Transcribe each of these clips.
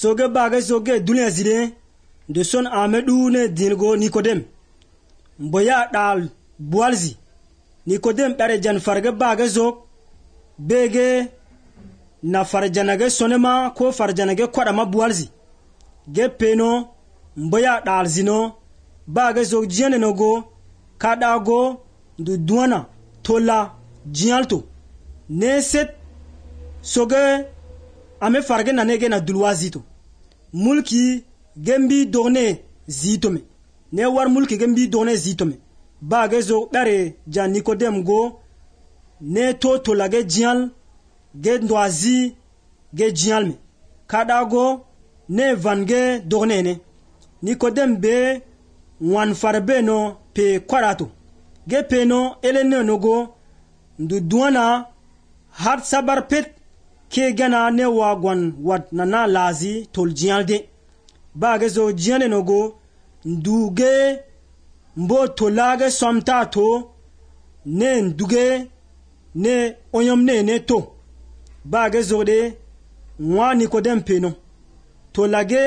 soge baga soge dunia zide de son amedu ne dingo Nikodem mboya dal bualzi Nikodem dare jan farga baga zok bege na farjanage sonema ko farjanage kwadama bualzi ge peno mboya dal zino baga zok jene nogo kadago du duana tola jialto ne set soge ame farge na nege na dulwazito mulki gembi dogne zitome ne war mulki gembi dogne zitome baga zok dare jan Nikodem go ne to lage jial ge ndwazi ge jial me kadago ne vange dogne ne Nikodem be wan farbe no pe kwarato ge peno elene nogo ndu duana hat sabar pet ke gana ne wagwan wat nana lazi tol jialde baga zo jiane nogo nduge mbo tolage somta to ne nduge ne onyom ne to baga zo de nwa Nikodem peno tolage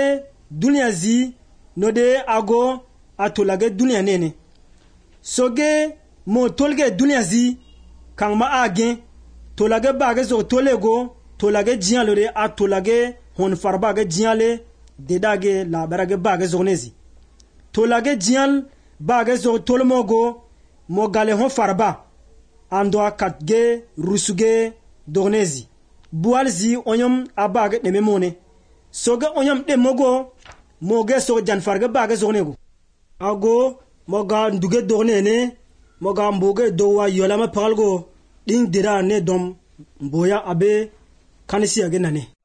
dunia zi no de ago atolage dunia nene soge mo tolge dunia zi kang ma agen tolage baga zo tolego tolage jialo de atolage hon farba ga jiale dedage la barage baga zo nezi tolage jial baga zo tolmogo mo gale hon farba ando akatge rusuge donezi bualzi onyom abaga de memone soga onyom de mogo moge so jan farga baga zo nego ago moga nduge donene moga mboge dowa yolama palgo ding dira ne dom mboya abe kanisi agenane